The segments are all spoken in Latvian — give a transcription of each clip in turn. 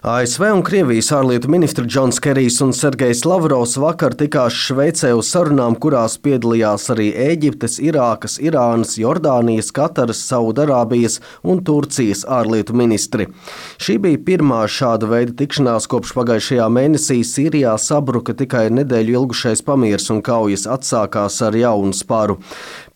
ASV un Krievijas ārlietu ministri Džons Kerijs un Sergejs Lavrovs vakar tikās Šveicē uz sarunām, kurās piedalījās arī Ēģiptes, Irākas, Irānas, Jordānijas, Kataras, Saudarābijas un Turcijas ārlietu ministri. Šī bija pirmā šāda veida tikšanās kopš pagājušajā mēnesī Sīrijā sabruka tikai nedēļu ilgušais pamieris un kaujas atsākās ar jaunu sparu.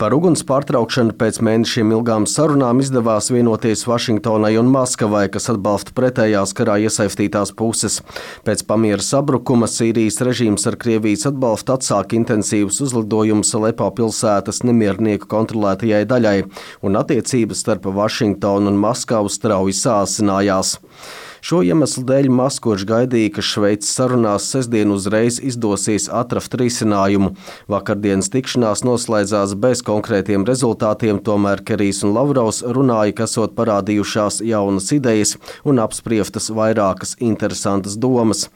Par uguns pārtraukšanu pēc mēnešiem ilgām sarunām izdevās vienoties Vašingtonai un Maskavai, kas atbalsta pretējās karā iesaistītās puses. Pēc pamiera sabrukuma Sīrijas režīms ar Krievijas atbalstu atsāka intensīvus uzlidojumus Alepo pilsētas nemiernieku kontrolētajai daļai, un attiecības starp Vašingtonu un Maskavu strauji sāsinājās. Šo iemeslu dēļ Maskovičs gaidīja, ka Šveices sarunās sestdien uzreiz izdosies atrast risinājumu. Vakardienas tikšanās noslēdzās bez konkrētiem rezultātiem, tomēr Kerijs un Lavrovs runāja, ka esot parādījušās jaunas idejas un apspriestas vairākas interesantas domas.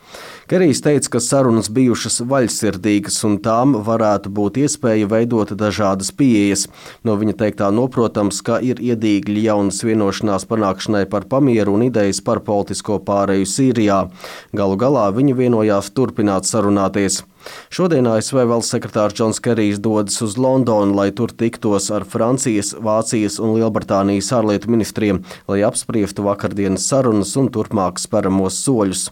Kerijs teica, ka sarunas bijušas vaļsirdīgas un tām varētu būt iespēja veidot dažādas pieejas. No viņa teiktā noprotams, ka ir iedīgļi jaunas vienošanās panākšanai par pamieru un idejas par politisko pāreju Sīrijā. Galu galā viņi vienojās turpināt sarunāties. Šodien ASV valsts sekretārs Džons Kerijs dodas uz Londonu, lai tur tiktos ar Francijas, Vācijas un Lielbritānijas ārlietu ministriem, lai apspriestu vakardienas sarunas un turpmāk speramos soļus.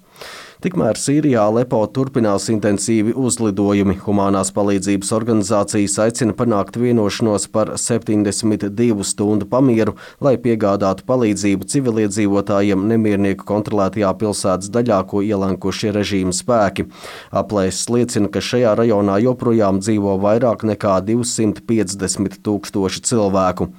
Tikmēr Sīrijā Alepo turpinās intensīvi uzlidojumi. Humanās palīdzības organizācijas aicina panākt vienošanos par 72 stundu pamieru, lai piegādātu palīdzību civiliedzīvotājiem nemiernieku kontrolētajā pilsētas daļā, ko ielenkušie režīma spēki. Aplēses liecina, ka šajā rajonā joprojām dzīvo vairāk nekā 250 000 cilvēku.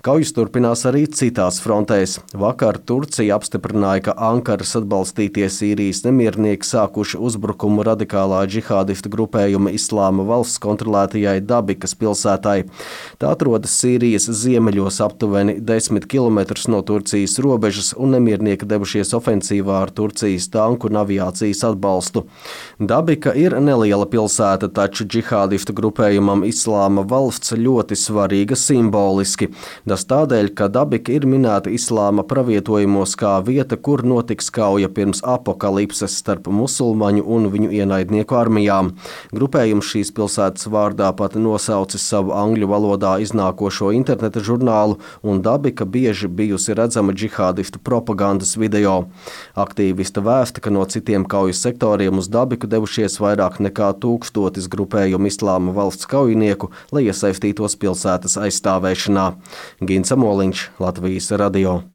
Kaujas turpinās arī citās frontēs. Vakar Turcija apstiprināja, ka Ankaras atbalstītie Sīrijas nemiernieki sākuši uzbrukumu radikālā džihādista grupējuma Islāma valsts kontrolētajai Dabikas pilsētai. Tā atrodas Sīrijas ziemeļos aptuveni 10 km no Turcijas robežas, un nemiernieki devušies ofensīvā ar Turcijas tanku un aviācijas atbalstu. Dabika ir neliela pilsēta, taču džihādista grupējumam Islāma valsts ļoti svarīga simboliski. Tas tādēļ, ka Dabika ir minēta islāma pravietojumos kā vieta, kur notiks kauja pirms apokalipses starp musulmaņu un viņu ienaidnieku armijām. Grupējums šīs pilsētas vārdā pat nosaucis savu angļu valodā iznākošo interneta žurnālu, un Dabika bieži bijusi redzama džihādistu propagandas video. Aktīvista vēsta, ka no citiem kaujas sektoriem uz Dabiku devušies vairāk nekā 1000 grupējumu Islāma valsts kaujinieku, lai iesaistītos pilsētas aizstāvēšanā. Gins Amoliņš, Latvijas radio.